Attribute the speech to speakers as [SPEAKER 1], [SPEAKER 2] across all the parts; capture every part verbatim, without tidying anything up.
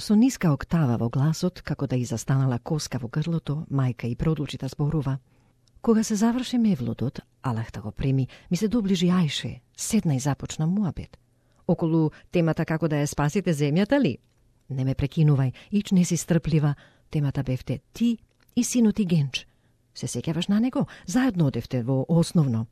[SPEAKER 1] со ниска октава во гласот, како да и застанала коска во грлото, мајка и продолжи да зборува. Кога се заврши мевлудот, Аллах го прими, ми се доближи Ајше, седна и започна муабет. Околу темата како да ја спасите земјата ли? Не ме прекинувај, ич не си стрплива. Темата бевте ти и синот и Генч. Се сеќаваш на него? Заедно одевте во основно.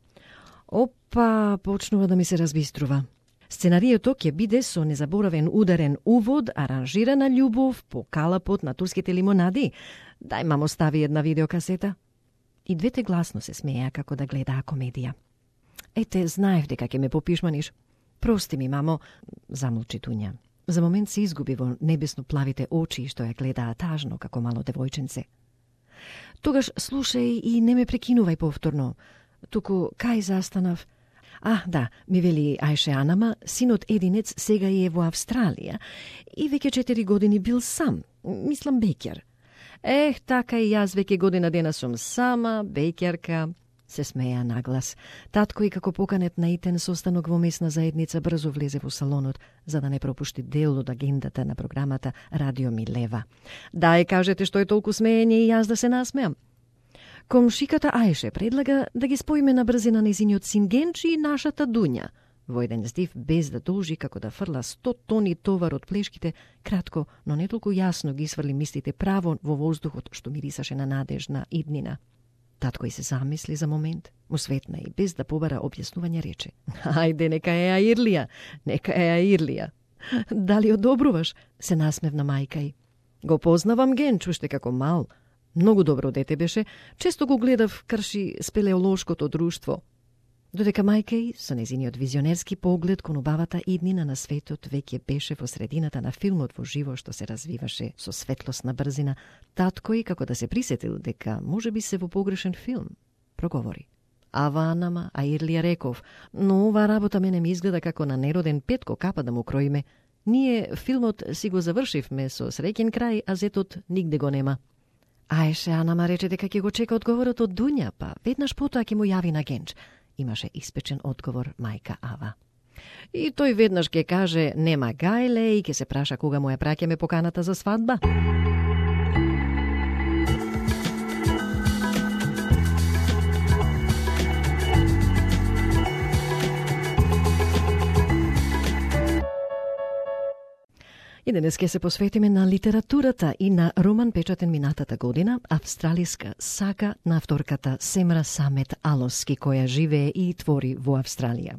[SPEAKER 1] Опа, почнува да ми се разбиструва. Сценарието ќе биде со незаборавен ударен увод, аранжирана љубов по калапот на турските лимонади. Дај мамо стави една видеокасета. И двете гласно се смеја како да гледаа комедија. Ете, знаев дека ќе ме попишманиш. Прости ми, мамо, замолчи Туња. За момент се изгуби во небесно плавите очи што ја гледаа тажно како мало девојченце. Тогаш слушај и не ме прекинувај повторно. Туку кај застанав? А, да, ми вели Ајше Анама, синот единец сега е во Австралија и веќе четири години бил сам, мислам беќар. Ех, така и јас веќе година дена сум сама, беќарка, се смеја наглас. Татко и како поканет на итен состанок во месна заедница брзо влезе во салонот, за да не пропушти дел од агендата на програмата Радио Милева. Дај, кажете што е толку смеење и јас да се насмеам. Комшиката Ајше предлага да ги споиме на брзина нејзиниот син Генчи и нашата Дуња. Во еден здив, без да должи како да фрла сто тони товар од плешките, кратко, но не толку јасно ги сврли мислите право во воздухот што мирисаше на надежна иднина. Татко и се замисли за момент, му светна и без да побара објаснување рече. Ајде, нека е Аирлија, нека е Аирлија. Дали одобруваш? Се насмевна мајка и. Го познавам Генч уште како мал. Многу добро дете беше, често го гледав крши спелеолошкото друштво. Додека мајка и, со незиниот визионерски поглед кон убавата иднина на светот, веќе беше во средината на филмот во живо што се развиваше со светлосна брзина, татко и, како да се присетил дека може би се во погрешен филм, проговори. Ава Анама, Аирлија реков, но ова работа мене ми изгледа како на нероден Петко капа да му кроиме. Ние филмот си го завршивме со среќен крај, а зетот нигде го нема. Ајше Анама рече дека ќе го чека одговорот од Дуња, па веднаш потоа ќе му јави на Генч. Имаше испечен одговор мајка Ава. И тој веднаш ќе каже нема гајле и ќе се праша кога му ја праќаме поканата за свадба. И денес ќе се посветиме на литературата и на роман печатен минатата година, австралиска сага на авторката Семра Самет Алоски, која живее и твори во Австралија.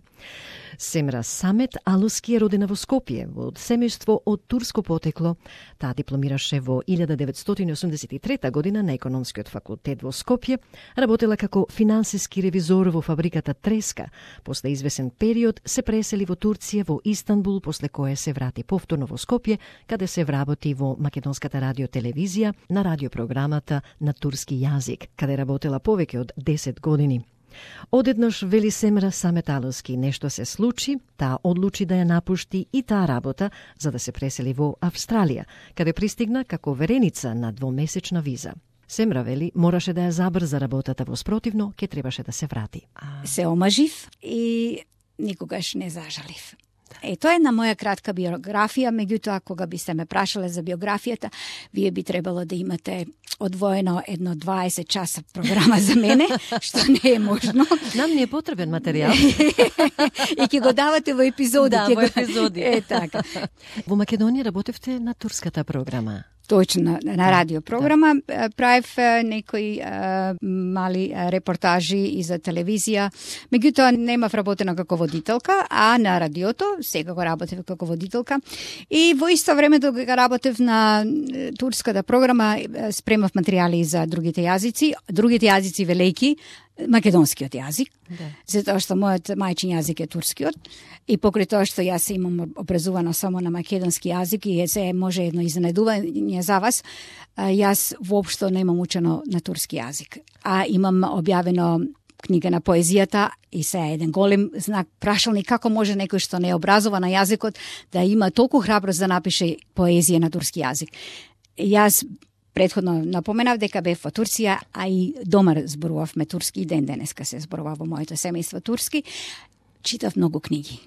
[SPEAKER 1] Семра Самет Алоски е родена во Скопје, во семејство од турско потекло. Таа дипломираше во илјада деветстотини осумдесет и трета година на Економскиот факултет во Скопје, работела како финансиски ревизор во фабриката Треска. После извесен период се пресели во Турција, во Истанбул, после кое се врати повторно во Скопје, каде се вработи во Македонската радиотелевизија на радиопрограмата на турски јазик, каде работела повеќе од десет години. Одеднаш, вели Семра Самет Алоски, нешто се случи, таа одлучи да ја напушти и таа работа за да се пресели во Австралија, каде пристигна како вереница на двомесечна виза. Семра вели, мораше да ја забрза работата, во спротивно ќе требаше да се врати.
[SPEAKER 2] Се омажив и никогаш не зажалив. Е, тоа е на моја кратка биографија, меѓутоа, кога би се ме прашале за биографијата, вие би требало да имате одвоено едно дваесет часа програма за мене, што не е можно.
[SPEAKER 1] Нам не е потребен материјал.
[SPEAKER 2] И ќе го давате во епизоди.
[SPEAKER 1] Да, во епизоди.
[SPEAKER 2] Е, така.
[SPEAKER 1] Во Македонија работевте на турската програма.
[SPEAKER 2] Точно, на радиопрограма. Да. Правев некои а, мали репортажи и за телевизија. Меѓутоа, немав работена како водителка, а на радиото сега го работев како водителка. И во исто време дога работев на турската програма, спремав материјали за другите јазици, другите јазици велики, македонскиот јазик, да. Затоа што мојот мајчин јазик е турскиот и покрај тоа што јас имам образувано само на македонски јазик и се може едно изненадување за вас, јас воопшто немам учено на турски јазик, а имам објавено книга на поезијата и се е еден голем знак прашалник како може некој што не е образован на јазикот да има толку храброст да напише поезија на турски јазик. Јас Предходно напоменав дека бев во Турција, а и дома зборувавме турски, и ден денеска се зборува во моето семејство турски. Читав многу книги.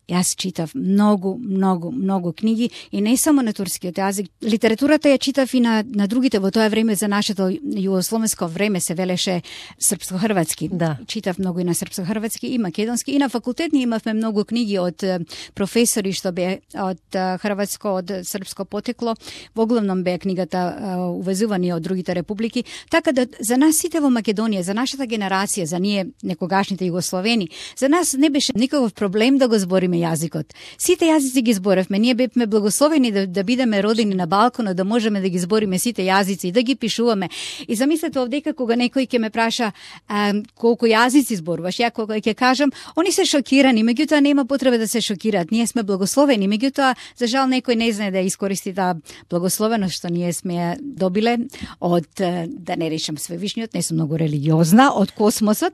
[SPEAKER 2] Јас читав многу, многу, многу книги и не само на турскиот јазик. Литературата ја читав и на, на другите. Во тоа време за нашето југословенско време се велеше српско-хрватски.
[SPEAKER 1] Да.
[SPEAKER 2] Читав многу и на српско-хрватски и македонски. И на факултет ние имавме многу книги од професори што бе од хрватско, од српско потекло. Во главном бе книгата увезувани од другите републики. Така да за нас сите во Македонија, за нашата генерација, за ние некогашните југословени, за нас не беше никаков проблем да го збориме јазикот. Сите јазици ги зборевме. Ние бевме благословени да, да бидеме родени на балконот, да можеме да ги збориме сите јазици и да ги пишуваме. И замислете овдека кога некој ќе ме праша а, колку јазици зборуваш, ја кога ќе кажам, они се шокирани, меѓутоа нема потреба да се шокираат. Ние сме благословени, меѓутоа за жал некој не знае да искористи таа благословеност што ние сме ја добиле од, да не речам Свевишниот, не сум многу религиозна, од космосот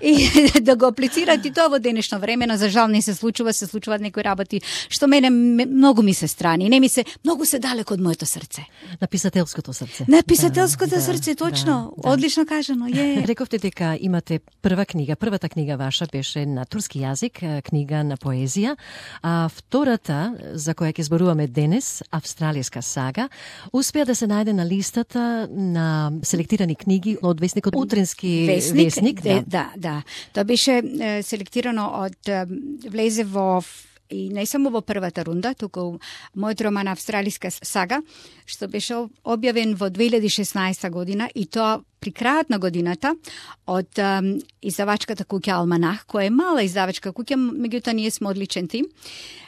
[SPEAKER 2] и да го аплицираат и тоа во денешно време, но за жал не се случува, се случуваат некои работи што мене многу ми се страни, не ми се, многу се далеко од моето срце.
[SPEAKER 1] На писателското срце.
[SPEAKER 2] На писателското
[SPEAKER 1] да,
[SPEAKER 2] срце, точно,
[SPEAKER 1] да, да.
[SPEAKER 2] Одлично кажано, е.
[SPEAKER 1] Рековте дека имате прва книга, првата книга ваша беше на турски јазик, книга на поезија, а втората, за која ќе зборуваме денес, австралиска сага, успеа да се најде на листата на селектирани книги од весникот Утренски весник. весник
[SPEAKER 2] да. да, да. Тоа беше е, селектирано од е, влезе во и не само во првата рунда, туку мојот роман Австралиска сага, што беше објавен во две илјади и шеснаесета година и тоа при крајот на годината од um, издавачката куќа Алманах, која е мала издавачка куќа, меѓутоа ние сме одличен тим,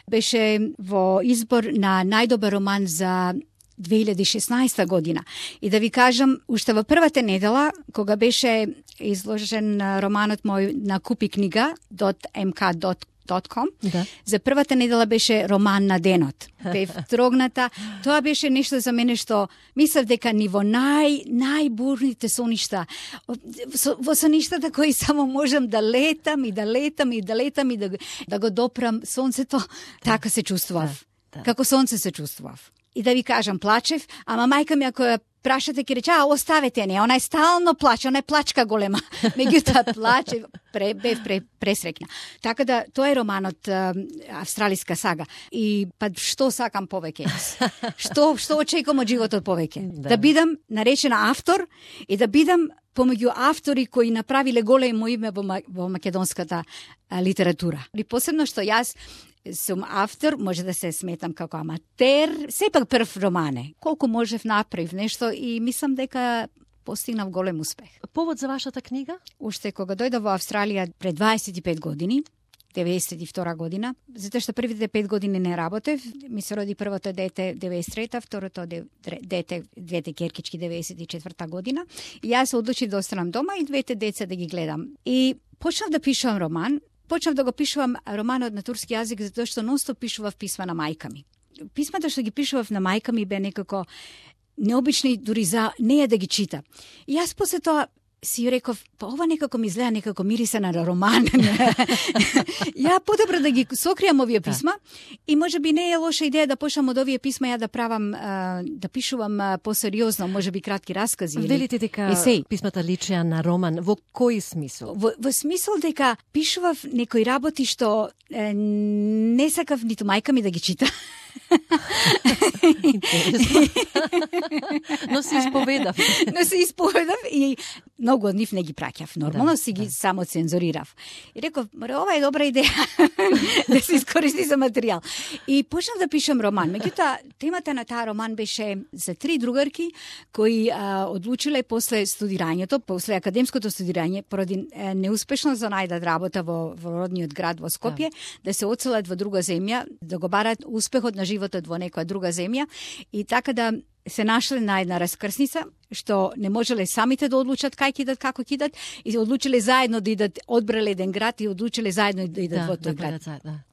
[SPEAKER 2] беше во избор на најдобар роман за две илјади и шеснаесета година. И да ви кажам, уште во првата недела, кога беше изложен романот мој на Купи книга dot m k dot com,
[SPEAKER 1] да.
[SPEAKER 2] За првата недела беше роман на денот. Бев трогната. Тоа беше нешто за мене што мислев дека ни во нај, најбурните соништа, во соништата кои само можам да летам и да летам и да летам и да, да го допрам сонцето, така се чувствував.
[SPEAKER 1] Да, да.
[SPEAKER 2] Како сонце се чувствував. И да ви кажам, плачев, ама мајка ми ако ја прашате ќе рече, а оставете не, она е стално плаче, она е плачка голема. Меѓутоа плаче, пре, бев пре, пресрекна. Така да, тоа е романот а, Австралиска сага. И па што сакам повеќе? Што што очекувам од животот повеќе? Да. Да бидам наречена автор и да бидам помеѓу автори кои направиле големо име во, во македонската а, литература. И посебно што јас сум автор, може да се сметам како аматер, сепак прв романе. Колку можев направив нешто и мислам дека постигнав голем успех.
[SPEAKER 1] Повод за вашата книга?
[SPEAKER 2] Уште кога дојдов во Австралија пред дваесет и пет години, деветдесет и втора година, затоа што првите пет години не работев, ми се роди првото дете деветдесет и трета, второто дете, двете керкички деветдесет и четврта година, и јас се одлучив да останам дома и двете деца да ги гледам. И почнав да пишувам роман. Почнав да го пишувам романот на турски јазик затоа што нонстоп пишував писма на мајка ми. Писмата што ги пишував на мајка ми бе некако необични дури за неја да ги чита. И јас после тоа си реков, па ова некако ми изгледа некако мириса на роман. Ја подобро да ги сокријам овие писма и може би не е лоша идеја да почнам од овие писма ја да правам, да пишувам посериозно, може би кратки раскази.
[SPEAKER 1] Велите дека есеј. Писмата личеа на роман, во кој смисол?
[SPEAKER 2] Во, во смисол дека пишував некои работи што е, не сакав ниту мајка ми да ги чита.
[SPEAKER 1] Но се исповедав.
[SPEAKER 2] Но се исповедав и многу од нив не ги праќав. Нормално
[SPEAKER 1] да,
[SPEAKER 2] си ги
[SPEAKER 1] да.
[SPEAKER 2] само цензурирав. И реков, ова е добра идеја да се искористи за материјал. И почнав да пишам роман. Меѓутоа, темата на таа роман беше за три другарки кои а, одлучиле после студирањето, после академското студирање, поради е, неуспешно за најдат работа во, во родниот град во Скопје, да. да се оцелат во друга земја, да го барат успехот на животот во некоја друга земја и така да се нашле на една раскрсница, што не можеле самите да одлучат кај кидат, како кидат, и одлучиле заедно да идат, одбрале еден град и одлучиле заедно да идат
[SPEAKER 1] да,
[SPEAKER 2] во тој
[SPEAKER 1] да,
[SPEAKER 2] град.
[SPEAKER 1] Да, да.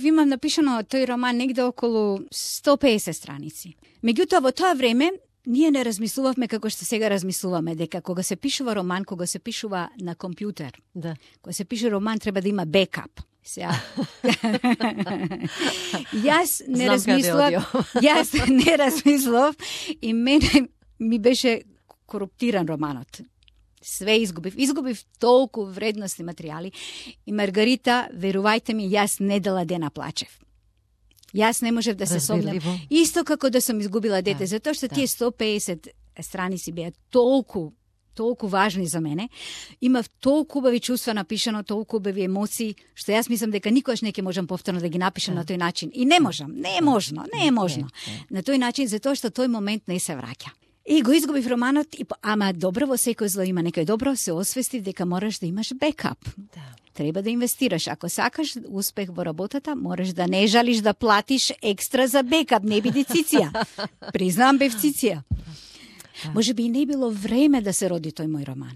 [SPEAKER 2] Имам напишано тој роман негде околу сто песет страници. Меѓутоа, во тоа време, ние не размислувавме како што сега размислуваме, дека кога се пишува роман, кога се пишува на компјутер,
[SPEAKER 1] да.
[SPEAKER 2] кога се пише роман, треба да има бекап. Сега. Јас не размислував, јас не размислував и мене ми беше коруптиран романот. Све изгубив. Изгубив толку вредностни материјали. И Маргарита, верувајте ми, јас не дела дена плачев. Јас не можев да се сомнам. Исто како да сум изгубила дете, да, затоа што да. Тие сто педесет страници беа толку толку важни за мене. Имав толку убави чувства напишано, толку убави емоции, што јас мислам дека никогаш не ќе можам повторно да ги напишам да. На тој начин. И не можам, не е можно, не е можно. Не, не. На тој начин, затоа што тој момент не се враќа. И го изгубив романот, и, ама добро, во секој зло има некој добро, се освестив дека мораш да имаш бекап. Да. Треба да инвестираш. Ако сакаш успех во работата, мораш да не жалиш да платиш екстра за бекап, не биде циција. Признам, бев циција. Може би и не било време да се роди тој мој роман.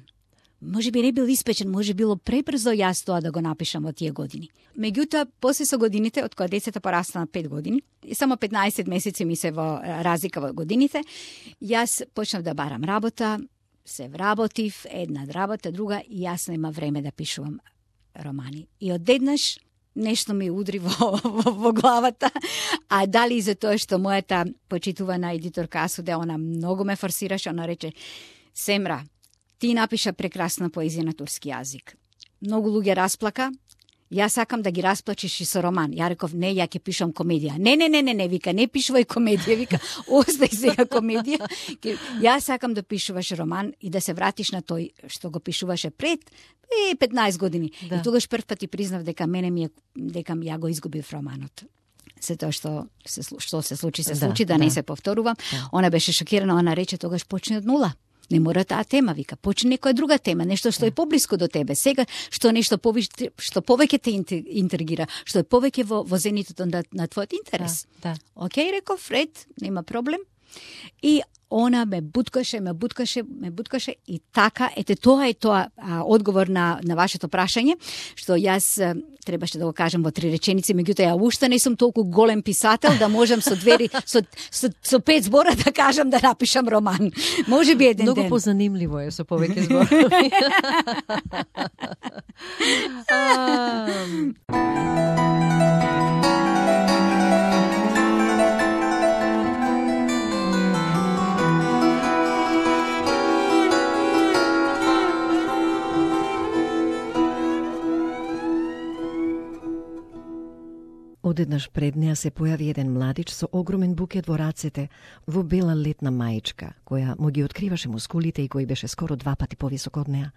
[SPEAKER 2] Може би не бил испечен, може било пребрзо јас тоа да го напишам во тие години. Меѓутоа, после со годините, од кога децата порасна на пет години, и само петнаесет месеци ми се во разлика во годините, јас почнав да барам работа, се вработив, една работа, друга, и јас нема време да пишувам романи. И одеднаш нешто ми удри во, во, во главата, а дали за тоа што мојата почитувана едиторка Асуде, она многу ме форсираше, она рече: Семра, ти напиша прекрасна поезија на турски јазик. Многу луѓе расплака, јас сакам да ги расплачиш и со роман. Ја реков: не, ја ќе пишам комедија. Не, не, не, не, не, вика, не пишувај комедија, вика, остај сега комедија. Јас сакам да пишуваш роман и да се вратиш на тој што го пишуваше пред е, петнаесет години. Да. И тогаш прв пат ти признав дека мене ми е, дека ја го изгубив романот. Се тоа што се, што се случи, се случи, да, да, да не се повторува. Да. Она беше шокирана, она рече: тогаш почни од нула. Не мора таа тема, вика, почни некоја друга тема, нешто што е поблиско до тебе. Сега, што нешто повеќе, што повеќе те интригира, што е повеќе во, во зенитот на, на твојот интерес. Да, да. Океј, реков, Фред, нема проблем. И она ме буткаше, ме буткаше, ме буткаше и така, ете тоа е тоа а, одговор на, на вашето прашање, што јас а, требаше да го кажам во три реченици, меѓутоа ја уште не сум толку голем писател да можам со двери, со, со, со пет збора да кажам да напишам роман. Може би еден
[SPEAKER 1] Многу
[SPEAKER 2] ден.
[SPEAKER 1] Многу позанимливо е со повеќе зборови. Одеднаш пред неа се појави еден младич со огромен букет во рацете, во бела летна маичка, која му ги откриваше мускулите и кој беше скоро два пати повисок од неа.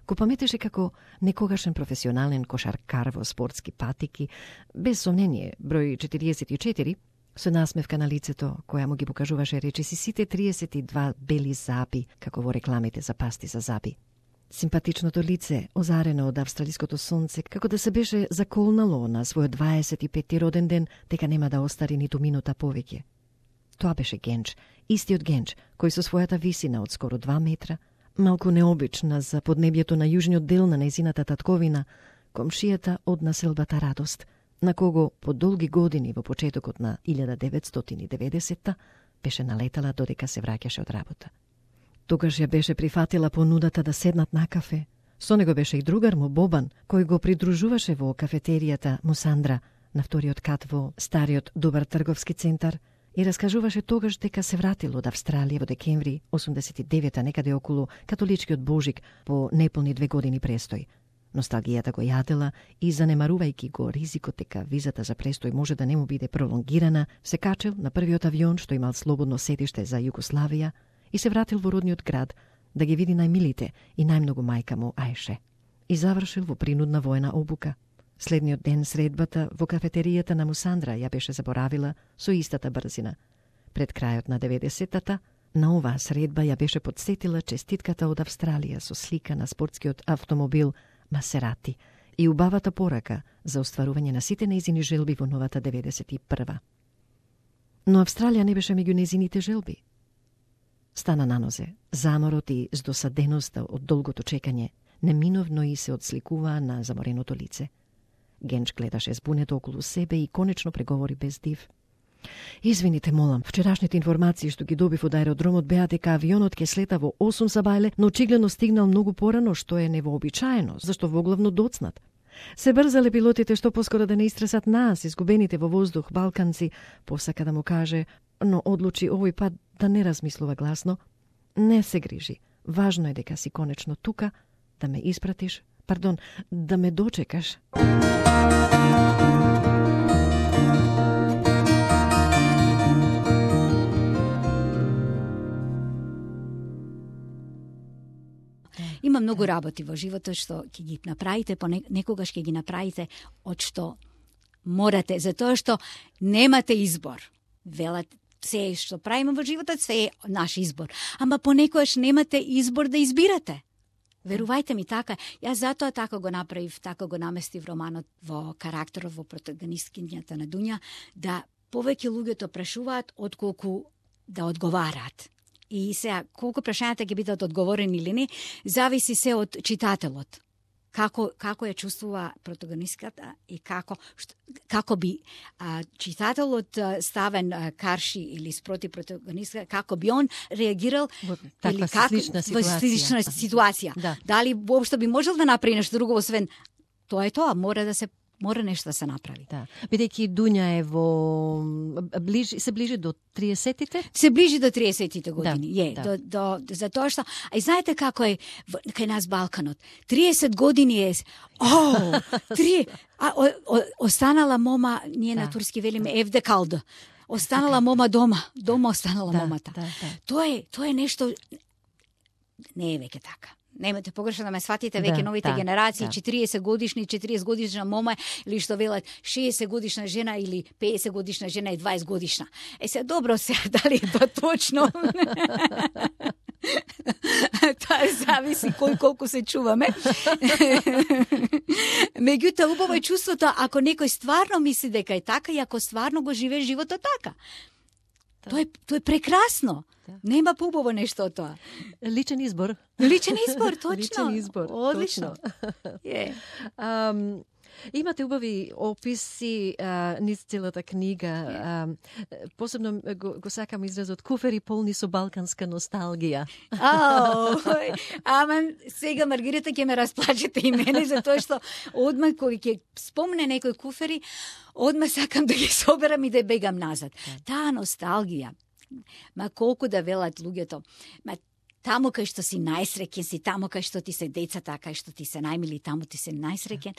[SPEAKER 1] Го паметеше како некогашен професионален кошаркар во спортски патики, без сомнение, број четириесет и четири, со насмевка на лицето, која му ги покажуваше речиси сите триесет и два бели заби, како во рекламите за пасти за заби. Симпатичното лице, озарено од австралиското сонце, како да се беше заколнало на својот дваесет и петти роден ден, дека нема да остари ниту минута повеќе. Тоа беше Генч, истиот Генч, кој со својата висина од скоро два метра, малку необична за поднебјето на јужниот дел на нејзината татковина, комшијата од населбата Радост, на кого по долги години во почетокот на илјада деветстотини и деветдесетта беше налетала додека се враќаше од работа. Тогаш ја беше прифатила понудата да седнат на кафе. Со него беше и другар му Бобан, кој го придружуваше во кафетеријата Мусандра, на вториот кат во стариот добар трговски центар, и раскажуваше тогаш дека се вратил од Австралија во декември осумдесет и девета, некаде околу католичкиот Божик, по неполни две години престој. Носталгијата го јадела и, занемарувајќи го ризикот дека визата за престој може да не му биде пролонгирана, се качил на првиот авион што имал слободно седиште за Југославија и се вратил во родниот град да ги види најмилите и најмногу мајка му Ајше. И завршил во принудна воена обука. Следниот ден средбата во кафетеријата на Мусандра ја беше заборавила со истата брзина. Пред крајот на деветдесеттата, на оваа средба ја беше подсетила честитката од Австралија со слика на спортскиот автомобил Масерати и убавата порака за остварување на сите нејзини желби во новата деветдесет и прва. Но Австралија не беше меѓу нејзините желби. Стана на нозе, заморот и здосаденоста од долгото чекање неминовно и се одсликуваа на замореното лице. Генч гледаше збунето околу себе и конечно преговори без див. Извините, молам, вчерашните информации што ги добив од аеродромот беа дека авионот ќе слета во осум сабајле, но очигледно стигнал многу порано, што е невообичаено, зашто воглавно доцнат. Се брзале пилотите што поскоро да не истресат нас, изгубените во воздух балканци, посака да му каже, но одлучи овој пат да не размислува гласно. Не се грижи, Важно е дека си конечно тука, да ме испратиш, пардон, да ме дочекаш.
[SPEAKER 2] Има многу работи во животот што ќе ги направите, понекогаш ќе ги направите од што морате, затоа што немате избор. Велат, се што правиме во животот, се е наш избор. Ама понекогаш немате избор да избирате. Верувајте ми, така. Јас затоа така го направив, така го наместив романот во карактерот, во протагонисткињата на Дуња, да повеќе луѓето прашуваат отколку да одговараат. И сега, колку прашањата ќе бидат одговорени или не, зависи се од читателот. Како, како ја чувствува протагонистката и како, што, како би а, читателот а, ставен а, карши или спроти протагонистка, како би он реагирал
[SPEAKER 1] во таква
[SPEAKER 2] или како,
[SPEAKER 1] слична ситуација.
[SPEAKER 2] Во слична ситуација.
[SPEAKER 1] Да.
[SPEAKER 2] Дали воопшто би можел да направи нешто друго, освен тоа е тоа, мора да се мора нешто да се направи.
[SPEAKER 1] Да. Бидејќи Дуња е во ближи се ближи до триесетите?
[SPEAKER 2] Се ближи до триесетите години.
[SPEAKER 1] Да,
[SPEAKER 2] е,
[SPEAKER 1] да.
[SPEAKER 2] до до затоа што а и знаете како е кај нас Балканот. триесет години е о, три а о, о, останала мома, ние да. На турски велиме евде калда. Останала мома дома, дома останала
[SPEAKER 1] да,
[SPEAKER 2] момата.
[SPEAKER 1] Да, да.
[SPEAKER 2] Тоа е, тоа е нешто не е веќе така. Немате погрешно да ме сватите, веќе
[SPEAKER 1] да,
[SPEAKER 2] новите
[SPEAKER 1] да,
[SPEAKER 2] генерации,
[SPEAKER 1] да.
[SPEAKER 2] четириесет годишни, четириесет годишна мома, или што велат шеесет годишна жена или педесет годишна жена и дваесет годишна. Е се добро се, дали е тоа точно? Тоа зависи кој колку се чуваме. Меѓутоа, убаво е чувството ако некој стварно мисли дека е така и ако стварно го живее животот така. Тоа е, тоа е прекрасно. Да. Нема поубаво нешто од тоа.
[SPEAKER 1] Личен избор.
[SPEAKER 2] Личен избор, точно.
[SPEAKER 1] Личен избор.
[SPEAKER 2] Одлично.
[SPEAKER 1] Yeah. Um, имате убави описи а, низ целата книга. Yeah. А, посебно го, го сакам изразот куфери полни со балканска носталгија.
[SPEAKER 2] Ау, ама сега Маргарита ќе ме расплачете и мене, затоа што одма кој ќе спомне некој куфери, одма сакам да ги соберам и да бегам назад. Yeah. Таа носталгија. Ма колку да велат луѓето, ма таму кај што си најсреќен си, таму кај што ти се децата, кај што ти се најмили, таму ти се најсреќен.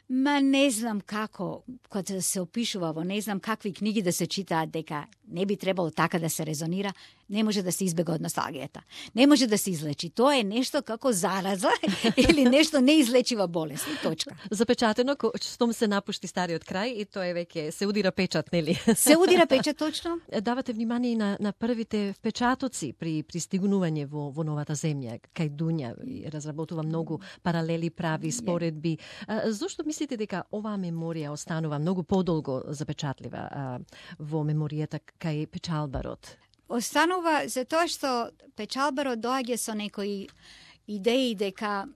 [SPEAKER 2] Ма не знам како, кога се опишува во не знам какви книги да се читаат дека не би требало така да се резонира, не може да се избега од носталгијата. Не може да се излечи. Тоа е нешто како зараза или нешто неизлечива болест. И точка.
[SPEAKER 1] Запечатено, штом се напушти стариот крај и тоа е веќе се удира печат, нели?
[SPEAKER 2] Се удира печат, точно.
[SPEAKER 1] Давате внимание и на, на првите впечатоци при пристигнување во, во новата земја, кај Дуња, разработува многу паралели, прави, споредби. А, зошто мислите дека оваа меморија останува многу подолго запечатлива а, во меморијата кај Печалбарот?
[SPEAKER 2] Останува затоа што Печалбарот доаѓа со некои идеи дека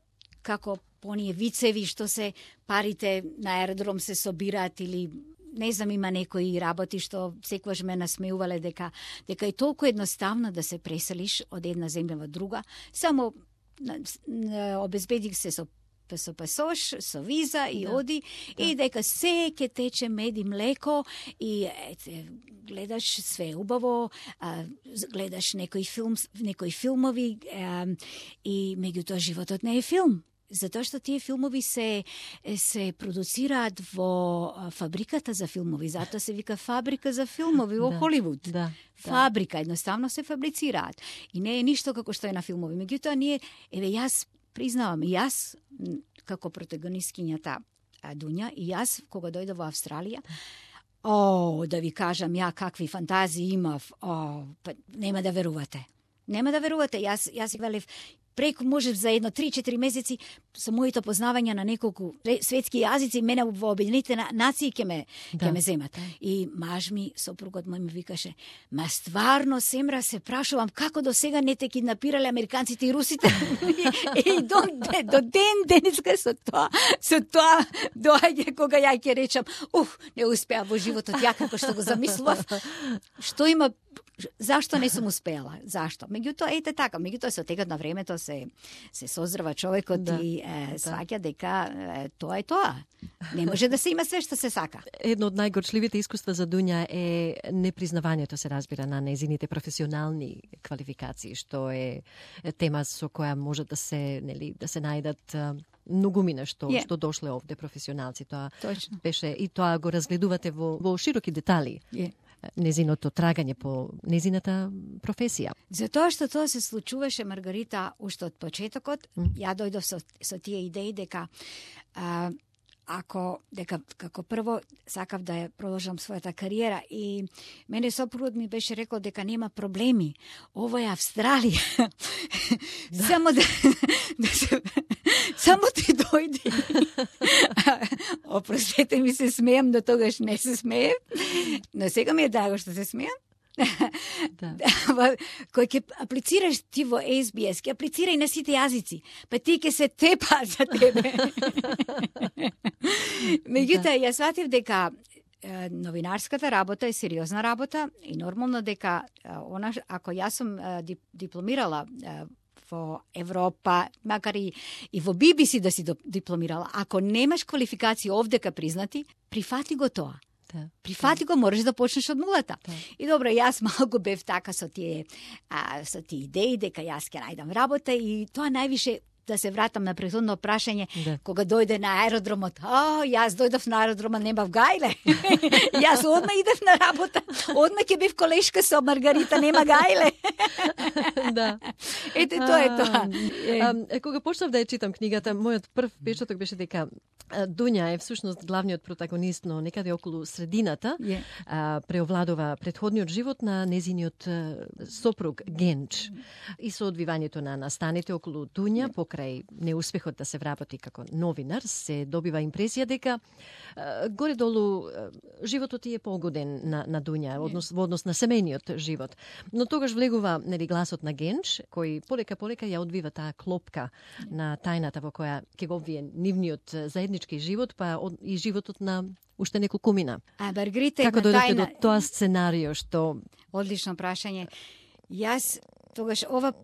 [SPEAKER 2] како оние вицеви што се парите на аеродром се собираат или не знам, има некои работи што секогаш ме насмеувале дека дека е толку едноставно да се преселиш од една земја во друга, само обезбедих се со со пасош, со виза и да, оди да. И дека се ќе тече мед и млеко и ете, гледаш све убаво, а, гледаш некои филм, некои филмови а, и меѓутоа животот не е филм. Затоа што тие филмови се се продуцираат во фабриката за филмови, затоа се вика фабрика за филмови во
[SPEAKER 1] да,
[SPEAKER 2] Холивуд.
[SPEAKER 1] Да,
[SPEAKER 2] фабрика, да. Едноставно се фабрицираат. И не е ништо како што е на филмови. Меѓутоа ние, еве јас признавам, и јас како протагонисткињата Дуња, и јас кога дојдов во Австралија, о, да ви кажам ја какви фантазии имав, о, па нема да верувате. Нема да верувате. Јас јас велев преку можев за едно три-четири месеци со моите познавања на неколку светски јазици, мене во Обединетите нации ќе ме да. ќе ме земат. И маж ми, сопругот мој ми викаше: "Ма стварно, Семра, се прашувам како до сега не те киднапирале американците и русите." И до, до ден денеска со тоа, со тоа доаѓа кога ја ќе речам: "Ух, не успеа во животот ја како што го замислував." Што има Зашто не сум успела? Зашто? Меѓутоа, ете така, меѓутоа со текот на времето се се созрва човекот да, и е, сваќа дека е, тоа е тоа. Не може да се има све што се сака.
[SPEAKER 1] Едно од најгорчливите искуства за Дуња е непризнавањето, се разбира, на незините професионални квалификации, што е тема со која може да се, нели, да се најдат многумина што yeah. што дошле овде професионалци. Тоа
[SPEAKER 2] Точно.
[SPEAKER 1] Беше и тоа го разгледувате во во широки детали.
[SPEAKER 2] Yeah.
[SPEAKER 1] Незиното трагање по незината професија.
[SPEAKER 2] Затоа што тоа се случуваше, Маргарита, уште од почетокот, mm. ја дојдов со, со тие идеи дека а, ако дека како прво сакав да ја продолжам својата кариера и мене сопругот ми беше рекол дека нема проблеми. Ова е Австралија. Да. Само да, да се само ти дојди. Опростете ми, се смеам, да тогаш не се смеем. Но сега ми е драго што се смеам. Да. Кој ќе аплицираш ти во Ес Би Ес, ќе аплицирај на сите јазици, па ти ќе се тепа за тебе. Меѓутоа, ја сватив дека е, новинарската работа е сериозна работа и нормално дека е, она, ако јас сум е, дипломирала е, во Европа, макар и, и во Би Би Си да си дипломирала, ако немаш квалификации овдека признати, прифати го тоа. Да, Прифати да. го, можеш да почнеш од нулата. Да. И добро, јас малку бев така со тие, а, со тие идеи, дека јас ќе најдам работа и тоа највише, да се вратам на претходно прашање, да. Кога дојде на аеродромот, а, јас дојдов на аеродромот, немав гајле. Јас одма идев на работа, одма ќе бев колешка со Маргарита, нема гајле.
[SPEAKER 1] Да.
[SPEAKER 2] Ете, тоа е тоа.
[SPEAKER 1] А, кога почнав да ја читам книгата, мојот прв печаток беше дека Дуња е всушност главниот протагонист, но некаде околу средината yeah. а, преовладува претходниот живот на незиниот сопруг Генч и со одвивањето на настаните околу Дуња, yeah. покрај неуспехот да се вработи како новинар, се добива импресија дека а, горе-долу а, животот е погоден на, на Дуња, yeah. однос, во однос на семејниот живот. Но тогаш влегува, нели, гласот на Генч, кој полека-полека ја одвива таа клопка yeah. на тајната во која ќе го обвие нивниот заеднички живот, па и животот на уште неколкумина.
[SPEAKER 2] А Маргарита,
[SPEAKER 1] како дојдете
[SPEAKER 2] тајна...
[SPEAKER 1] до тоа сценарио што...
[SPEAKER 2] Одлично прашање. Јас тогаш ова,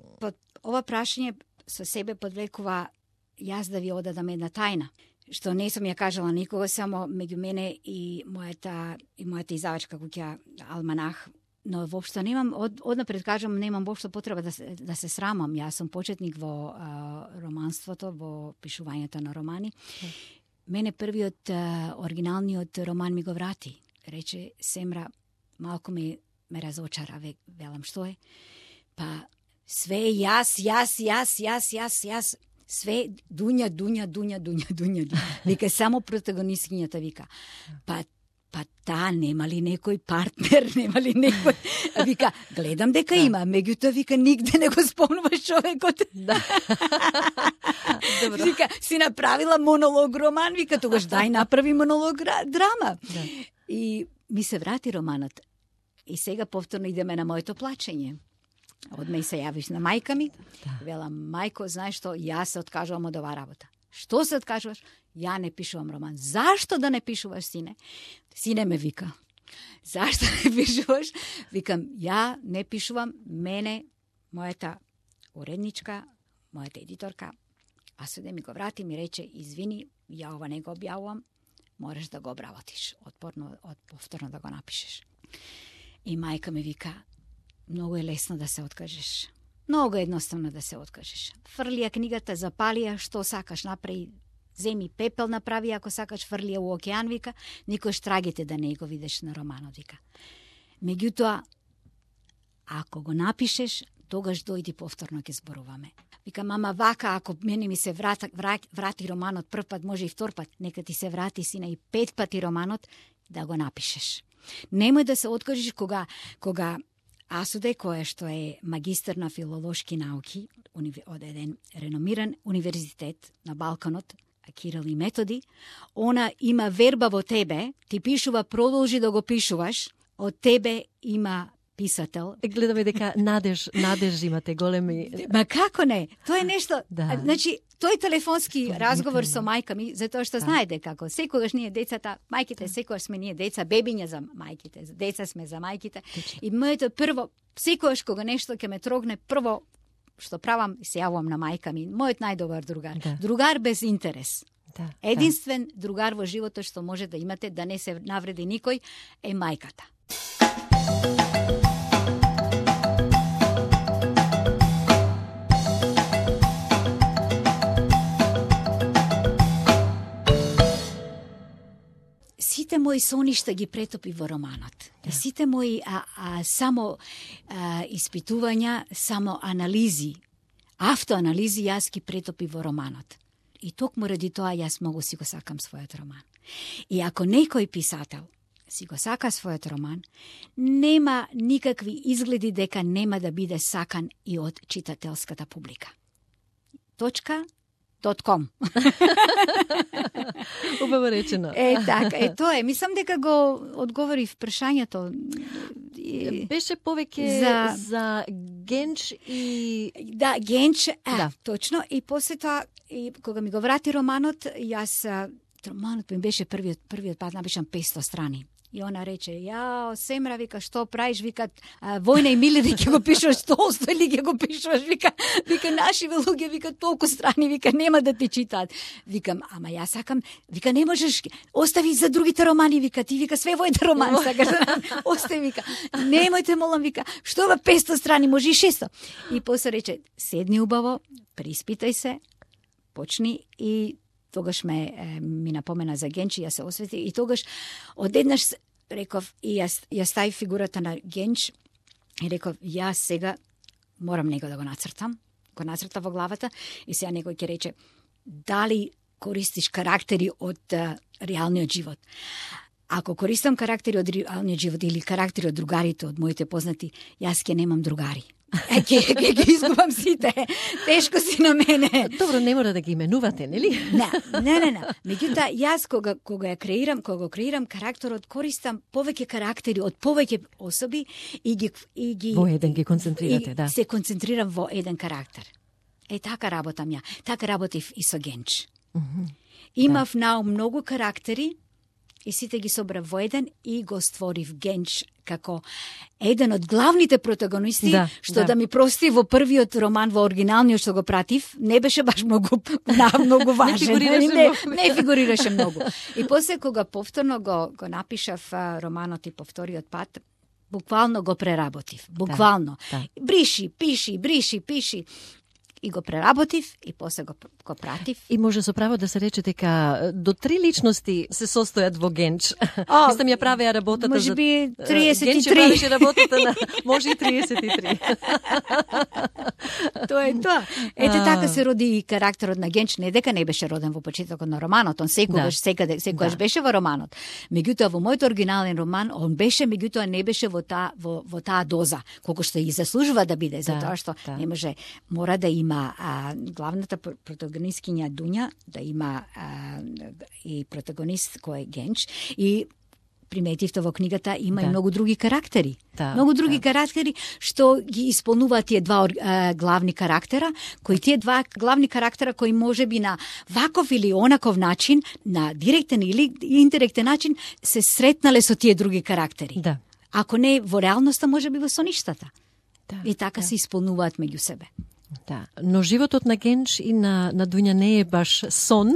[SPEAKER 2] ова прашање со себе подвлекува јас да ви одадам една тајна, што не сум ја кажала никога, само меѓу мене и мојата, и мојата издавачка куќа Алманах. Но воопшто немам, од, однапред кажам, немам воопшто потреба да се, да се срамам. Јас сум почетник во а, романството, во пишувањето на романи. Mm. Мене првиот, а, оригиналниот роман ми го врати. Рече, Семра, малку ме, ме разочара, ве, велам, што е? Па, све јас, јас, јас, јас, јас, јас, све Дуња, Дуња, Дуња, Дуња, Дуња, Дуња. Вика, само протагонисткињата вика. Па, па таа нема ли некој партнер, нема ли некој... Вика, гледам дека да. Има, меѓутоа вика, нигде не го спомнуваш човекот. Да. Вика, си направила монолог роман, вика, тогаш дај направи монолог драма. Да. И ми се врати романот. И сега повторно идеме на моето плачење. Одме и се јавиш на мајка ми. Да. Велам, мајко, знаеш што, јас се откажувам од оваа работа. Што се откажуваш? Ја не пишувам роман. Зашто да не пишуваш, сине? Сине ме вика. Зашто не пишуваш? Викам, ја не пишувам. Мене, мојата уредничка, мојата едиторка, а суде ми го врати, ми рече, извини, ја ова не го објавувам, мораш да го обработиш. Отпорно, от, повторно да го напишеш. И мајка ми вика, многу е лесно да се откажеш. Много едноставно да се откажеш. Фрли ја книгата, запали ја, што сакаш, направи, земи пепел направи, ако сакаш, фрли ја у океан, вика, никош трагите да не го видиш на романот, вика. Меѓутоа, ако го напишеш, тогаш дојди повторно ќе зборуваме. Вика, мама, вака, ако мене ми се врата, врати, врати романот прв пат, може и втор пат, нека ти се врати, сина, и пет пати романот, да го напишеш. Немој да се откажеш кога, кога Асуде, која што е магистар на филолошки науки од еден реномиран универзитет на Балканот, Кирил и Методи, она има верба во тебе, ти пишува, продолжи да го пишуваш, од тебе има писател.
[SPEAKER 1] Гледаме дека надеж, надеж имате големи...
[SPEAKER 2] Ма како не? Тоа е нешто...
[SPEAKER 1] Да.
[SPEAKER 2] Значи, тој телефонски разговор со мајка ми, затоа што знаете како, секогаш ние децата, мајките, секогаш сме ние деца, бебиња за мајките, деца сме за мајките.
[SPEAKER 1] Точно.
[SPEAKER 2] И моето прво, секогаш кога нешто ќе ме трогне, прво што правам, се јавувам на мајка ми, мојот најдобар другар.
[SPEAKER 1] Да.
[SPEAKER 2] Другар без интерес.
[SPEAKER 1] Да,
[SPEAKER 2] Единствен да. другар во животот што може да имате, да не се навреди никој, е мајката. Сите мои соништа ги претопи во романот. Да. Сите мои а, а, само а, испитувања, само анализи, автоанализи јас ги претопи во романот. И токму ради тоа јас многу си го сакам својот роман. И ако некој писател си го сака својот роман, нема никакви изгледи дека нема да биде сакан и од читателската публика. Точка. .com.
[SPEAKER 1] Убаво речено.
[SPEAKER 2] Е, така, е тоа е. Мислам дека го одговорив прашањето.
[SPEAKER 1] Беше повеќе за, за Генч и...
[SPEAKER 2] Да, Генч, а,
[SPEAKER 1] да.
[SPEAKER 2] Точно. И после тоа, и кога ми го врати романот, јас, романот ми беше првиот, првиот пат, напишам петсто страни. И она рече, јао, Семра, вика, што правиш, вика, а, Војна и Миле, ќе го пишуваш Толстој или ќе го пишуваш, вика, вика, наши луѓе, вика, толку страни, вика, нема да ти читаат. Викам, ама јас сакам, вика, не можеш, остави за другите романи, вика, ти, вика, све војните романи, сакаш да остави, вика, немојте, молам, вика, што ва петсто страни, може и шесто. И после рече, седни убаво, приспитај се, почни и тогаш ме е, ми напомена за Генч и ја се освети и тогаш одеднаш реков и јас ја стави фигурата на Генч и реков јас сега морам него да го нацртам, го нацрта во главата и сега некој ќе рече дали користиш карактери од uh, реалниот живот. Ако користам карактери од реалниот живот или карактери од другарите, од моите познати, јас ќе немам другари. Е, ке, ке, ке изгубам сите. Тешко си на мене.
[SPEAKER 1] Добро, не мора да ги именувате, нели?
[SPEAKER 2] Не, не, не, не. Меѓутоа, јас кога, кога ја креирам, кога го креирам карактерот, користам повеќе карактери од повеќе особи и ги... И ги
[SPEAKER 1] во еден ги концентрирате,
[SPEAKER 2] и
[SPEAKER 1] да.
[SPEAKER 2] се концентрирам во еден карактер. Е, така работам ја. Така работив и со Генч.
[SPEAKER 1] Mm -hmm.
[SPEAKER 2] Имав да. наум многу карактери, и сите ги собрав во еден и го створив Генч како еден од главните протагонисти,
[SPEAKER 1] да,
[SPEAKER 2] што
[SPEAKER 1] да.
[SPEAKER 2] да ми прости во првиот роман, во оригиналниот што го пратив, не беше баш многу, на, многу важен.
[SPEAKER 1] не фигурираше
[SPEAKER 2] не,
[SPEAKER 1] многу.
[SPEAKER 2] Не фигурираше многу. И после кога повторно го, го напишав а, романот и по вториот пат, буквално го преработив. Буквално.
[SPEAKER 1] Да, да.
[SPEAKER 2] Бриши, пиши, бриши, пиши. И го преработив и после го, го пратив.
[SPEAKER 1] И може со право да се рече дека до три личности се состојат во Генч.
[SPEAKER 2] О,
[SPEAKER 1] Мислам ја правеа работата
[SPEAKER 2] може
[SPEAKER 1] за...
[SPEAKER 2] би триесет и
[SPEAKER 1] Генч
[SPEAKER 2] три.
[SPEAKER 1] правеше работата на... Може и триесет и три.
[SPEAKER 2] Тоа е тоа. Ете така се роди и карактерот на Генч, не дека не беше роден во почетокот на романот, он секогаш, да. секаде, секогаш да. беше во романот. Меѓутоа во мојот оригинален роман он беше, меѓутоа не беше во таа во, во таа доза, колку што и заслужува да биде, да, затоа што да. не може, мора да има а, главната протагонисткиња Дуња, да има а, и протагонист кој е Генч и приметивте во книгата има да. и многу други карактери.
[SPEAKER 1] Да,
[SPEAKER 2] многу други
[SPEAKER 1] да.
[SPEAKER 2] карактери што ги исполнуваат тие два а, главни карактера, кои тие два главни карактера кои можеби на ваков или онаков начин, на директен или индиректен начин се сретнале со тие други карактери.
[SPEAKER 1] Да.
[SPEAKER 2] Ако не во реалноста, можеби во соништата.
[SPEAKER 1] Да,
[SPEAKER 2] и така
[SPEAKER 1] да.
[SPEAKER 2] се исполнуваат меѓу себе.
[SPEAKER 1] Да, но животот на Генч и на на Дуња не е баш сон.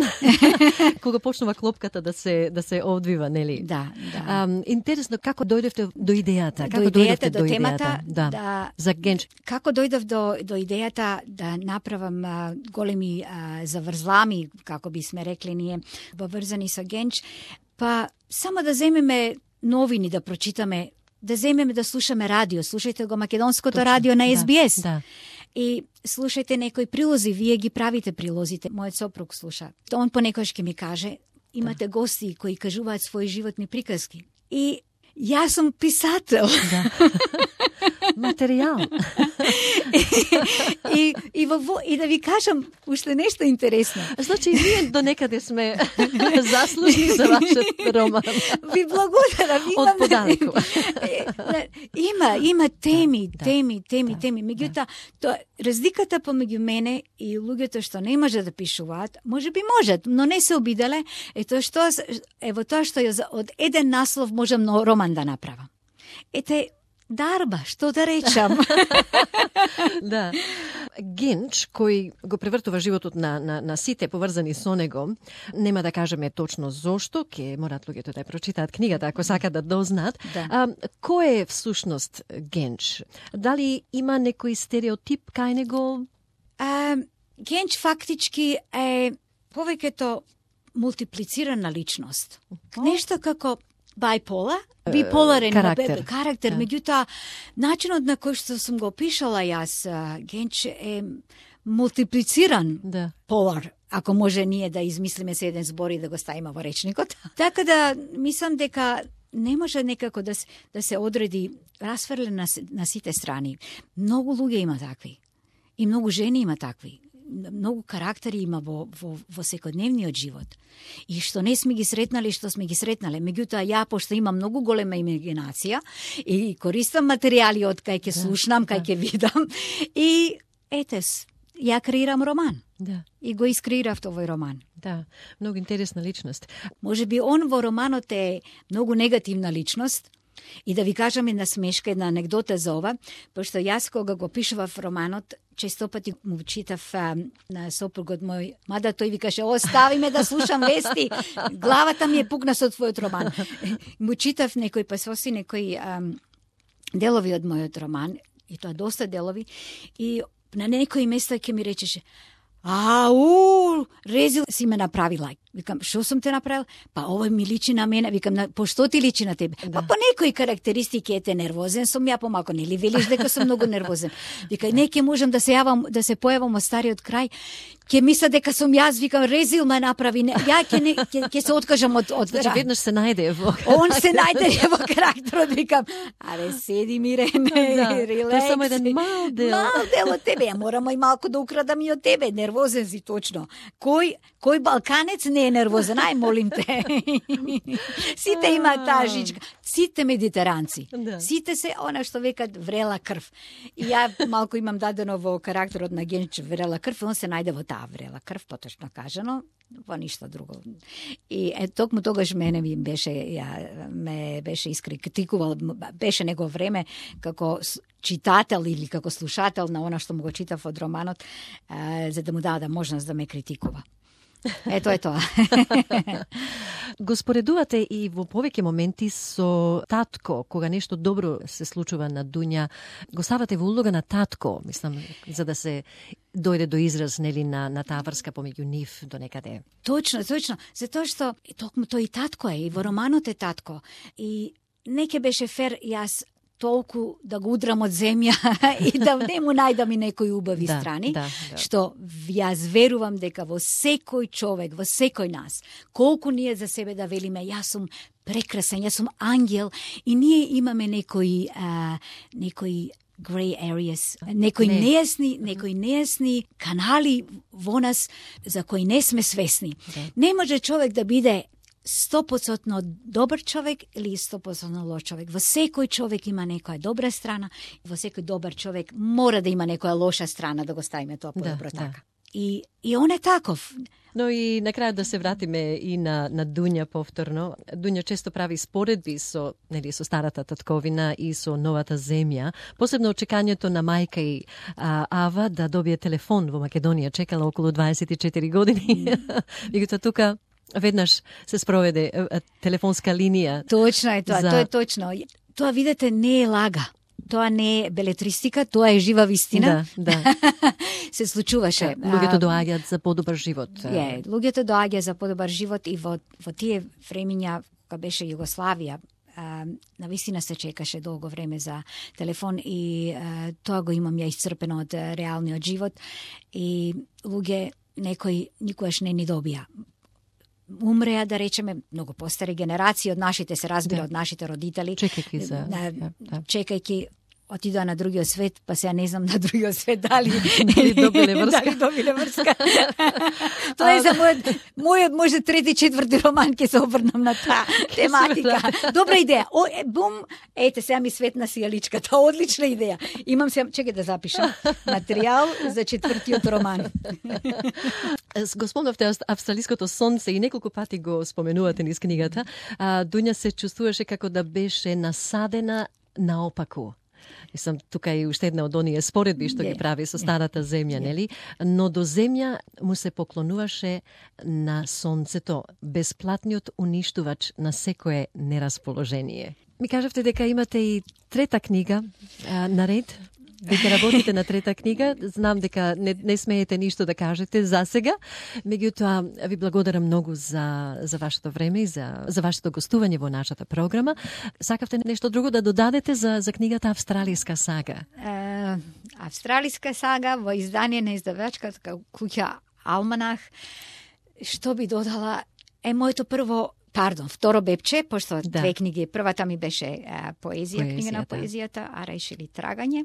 [SPEAKER 1] Кога почнува клопката да се да се одвива, нели?
[SPEAKER 2] Да, да.
[SPEAKER 1] А, интересно како дојдовте до идејата?
[SPEAKER 2] До
[SPEAKER 1] како
[SPEAKER 2] идејата,
[SPEAKER 1] дојдовте
[SPEAKER 2] до,
[SPEAKER 1] до
[SPEAKER 2] темата,
[SPEAKER 1] идејата? Да.
[SPEAKER 2] да.
[SPEAKER 1] За Генч.
[SPEAKER 2] Како дојдов до до идејата да направам а, големи а, заврзлами, како би сме рекли ние, поврзани со Генч, па само да земеме новини да прочитаме, да земеме да слушаме радио, слушајте го македонското
[SPEAKER 1] Точно,
[SPEAKER 2] радио на Ес Би Ес.
[SPEAKER 1] Да, да.
[SPEAKER 2] И слушајте некои прилози, вие ги правите прилозите. Мојот сопруг слуша. Он понекогаш ќе ми каже, имате да. гости кои кажуваат своји животни приказки. И јас сум писател.
[SPEAKER 1] Да. Материјал.
[SPEAKER 2] и, и, во, и да ви кажам уште нешто интересно.
[SPEAKER 1] Значи, ние до некаде сме заслужни за вашиот роман.
[SPEAKER 2] Ви благодарам.
[SPEAKER 1] Од подалеку.
[SPEAKER 2] Има, има теми,
[SPEAKER 1] да,
[SPEAKER 2] теми, теми,
[SPEAKER 1] да,
[SPEAKER 2] теми. Меѓутоа, тоа разликата помеѓу мене и луѓето што не може да пишуваат, може би можат, но не се обиделе, е тоа што ево тоа што ја од еден наслов можам но роман да направам. Ете дарба, што да речам.
[SPEAKER 1] Да. Генч, кој го превртува животот на, на, на сите поврзани со него, нема да кажеме точно зошто, ке морат луѓето да ја прочитаат книгата, ако сакат да дознаат.
[SPEAKER 2] Да.
[SPEAKER 1] А, кој е всушност Генч? Дали има некој стереотип кај него?
[SPEAKER 2] А, Генч фактички е повеќето мултиплицирана личност. Нешто како бипола, биполарен
[SPEAKER 1] карактер,
[SPEAKER 2] карактер.
[SPEAKER 1] Да.
[SPEAKER 2] Меѓутоа, начинот на кој што сум го пишала јас, Генч е мултиплициран
[SPEAKER 1] Да.
[SPEAKER 2] полар, ако може ние да измислиме се еден збор и да го ставиме во речникот. Така да, мислам дека не може некако да се, да се одреди расфрлен на, на сите страни. Многу луѓе има такви. И многу жени има такви. Многу карактери има во, во, во секојдневниот живот. И што не сме ги сретнали, што сме ги сретнале. Меѓутоа, ја, пошто имам многу голема имагинација и користам материјали од кај ќе слушнам, кај ќе видам. И, етес, ја креирам роман.
[SPEAKER 1] Да.
[SPEAKER 2] И го искреирав овој роман.
[SPEAKER 1] Да, многу интересна личност.
[SPEAKER 2] Може би он во романот е многу негативна личност. И да ви кажам една смешка, една анегдота за ова, пошто јас кога го пишував романот, често пати му читав а, на сопругот мој, мада тој викаше, остави ме да слушам вести, главата ми е пукна со твојот роман. Му читав некој пасоси, некои а, делови од мојот роман, и тоа доста делови, и на некои места ќе ми речеше, ау, резил си ме направила. Викам, што сум те направил? Па овој ми личи на мене. Викам, по што ти личи на тебе? Да. Па по некои карактеристики ете нервозен сум ја помако, нели велиш дека сум многу нервозен. Вика, не ќе можам да се јавам, да се појавам од стариот крај. Ќе мисля дека сум јас, викам, резил ме направи. Не, ја ќе не ќе, ќе се откажам од од.
[SPEAKER 1] Значи веднаш се најде во.
[SPEAKER 2] Он се најде во карактерот, викам, аре седи мирене,
[SPEAKER 1] да,
[SPEAKER 2] релекс.
[SPEAKER 1] Тоа е само еден мал дел.
[SPEAKER 2] Мал дел од тебе, ја морам и малку да украдам и од тебе. Нервозен си точно. Кој кој балканец не е нервозен? Ај, молим те. Сите имаат таа жичка. Сите медитеранци.
[SPEAKER 1] Да.
[SPEAKER 2] Сите се она што векат врела крв. И ја малку имам дадено во карактерот на Генч врела крв, и он се најде во таа врела крв, поточно кажано, во ништо друго. И е токму тогаш мене ми беше ја ме беше искритикувал, беше него време како читател или како слушател на она што му го читав од романот, а, за да му даде можност да ме критикува. Ето е тоа.
[SPEAKER 1] Го споредувате и во повеќе моменти со татко, кога нешто добро се случува на Дуња, го ставате во улога на татко, мислам, за да се дојде до израз, нели, на, на таа врска помеѓу нив до некаде.
[SPEAKER 2] Точно, точно. Затоа што токму тој и татко е, и во романот е татко. И не ќе беше фер јас толку да го удрам од земја и да не му најдам и некои убави
[SPEAKER 1] да,
[SPEAKER 2] страни,
[SPEAKER 1] да, да.
[SPEAKER 2] што јас верувам дека во секој човек, во секој нас, колку ние за себе да велиме, јас сум прекрасен, јас сум ангел, и ние имаме некои, а, некои grey areas, некои не. нејасни, некои нејасни канали во нас за кои не сме свесни. Да. Не може човек да биде сто проценти добар човек или сто проценти лош човек. Во секој човек има некоја добра страна, во секој добар човек мора да има некоја лоша страна, да го ставиме тоа подобро
[SPEAKER 1] да,
[SPEAKER 2] така.
[SPEAKER 1] Да.
[SPEAKER 2] И, и он е таков.
[SPEAKER 1] Но и на крајот да се вратиме и на, на Дуња повторно. Дуња често прави споредби со, нели, со старата татковина и со новата земја. Посебно очекањето на мајка и а, Ава да добие телефон во Македонија. Чекала околу дваесет и четири години. Меѓутоа тука веднаш се спроведе телефонска линија.
[SPEAKER 2] Точно е тоа,
[SPEAKER 1] за...
[SPEAKER 2] тоа е точно. Тоа, видете, не е лага. Тоа не е белетристика, тоа е жива вистина.
[SPEAKER 1] Да, да.
[SPEAKER 2] Се случуваше.
[SPEAKER 1] Луѓето доаѓаат за подобар живот.
[SPEAKER 2] Е, луѓето доаѓаат за подобар живот и во, во тие времиња, кога беше Југославија, а, навистина се чекаше долго време за телефон и а, тоа го имам ја исцрпено од реалниот живот и луѓе некои никогаш не ни добија. Умреа, да речеме, многу постари генерации од нашите, се разбира, да. од нашите родители.
[SPEAKER 1] Чекајќи за...
[SPEAKER 2] Да, да. Чекајќи отидоа на другиот свет, па сега не знам на другиот свет дали
[SPEAKER 1] дали добиле врска.
[SPEAKER 2] Дали добиле врска. Тоа е за мојот, мојот може трети, четврти роман ќе се обрнам на таа тематика. Добра идеја. О, е, бум, ете, сега ми светна сијаличката. Одлична идеја. Имам се, чекај да запишам, материјал за четвртиот роман.
[SPEAKER 1] Госпомнавте австралиското сонце и неколку пати го споменувате низ книгата. А, Дуња се чувствуваше како да беше насадена наопаку. Мислам, тука е уште една од оние споредби што ги прави со старата земја, нели? Но до земја му се поклонуваше на сонцето, бесплатниот уништувач на секое нерасположение. Ми кажавте дека имате и трета книга а, наред, дека работите на трета книга. Знам дека не, не смеете ништо да кажете за сега. Меѓутоа, ви благодарам многу за, за вашето време и за, за вашето гостување во нашата програма. Сакавте нешто друго да додадете за, за книгата Австралиска сага?
[SPEAKER 2] Е, Австралиска сага во издание на издавачката куќа Алманах. Што би додала е моето прво Пардон, второ бепче, пошто да. Две книги. Првата ми беше а, поезија, поезија, книга на поезијата, а решили трагање.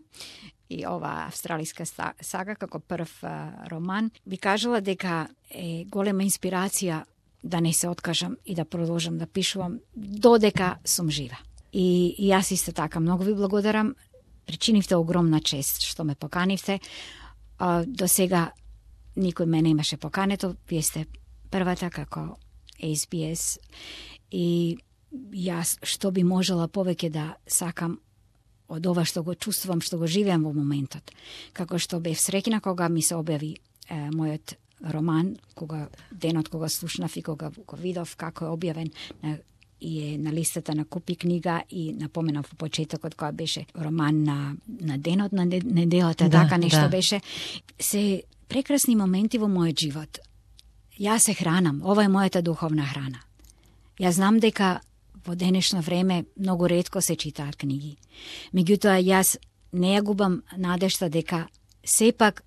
[SPEAKER 2] И ова австралиска сага, како прв а, роман, би кажала дека е голема инспирација да не се откажам и да продолжам да пишувам додека сум жива. И, и јас исто така многу ви благодарам. Причинивте огромна чест што ме поканивте. А, до сега никој мене имаше покането. Вие сте првата како Ес Би Ес и јас што би можела повеќе да сакам од ова што го чувствувам, што го живеам во моментот. Како што бев среќна кога ми се објави е, мојот роман, кога денот кога слушнав и кога го видов како е објавен на, и е на листата на Купи книга и напоменав во почетокот кога беше роман на, на денот на неделата, да, така нешто да. Беше. Се прекрасни моменти во мојот живот. Јас се хранам, ова е мојата духовна храна. Јас знам дека во денешно време многу ретко се читаат книги. Меѓутоа, јас не ја губам надежта дека сепак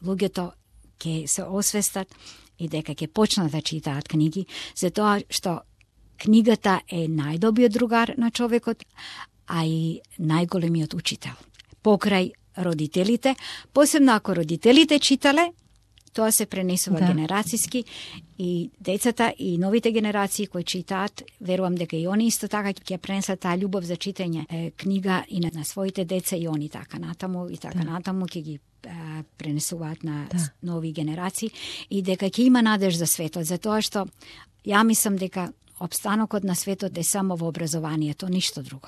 [SPEAKER 2] луѓето ќе се освестат и дека ќе почнат да читаат книги, затоа што книгата е најдобриот другар на човекот, а и најголемиот учител. Покрај родителите, посебно ако родителите читале, тоа се пренесува да. Генерацијски и децата и новите генерации кои читаат, верувам дека и они исто така ќе пренесат таа љубов за читање е, книга и на, на своите деца и они така натаму и така да. Натаму ќе ги е, пренесуваат на да. Нови генерации и дека ќе има надеж за светот, затоа што ја мислам дека опстанокот на светот е само во образованието, ништо друго.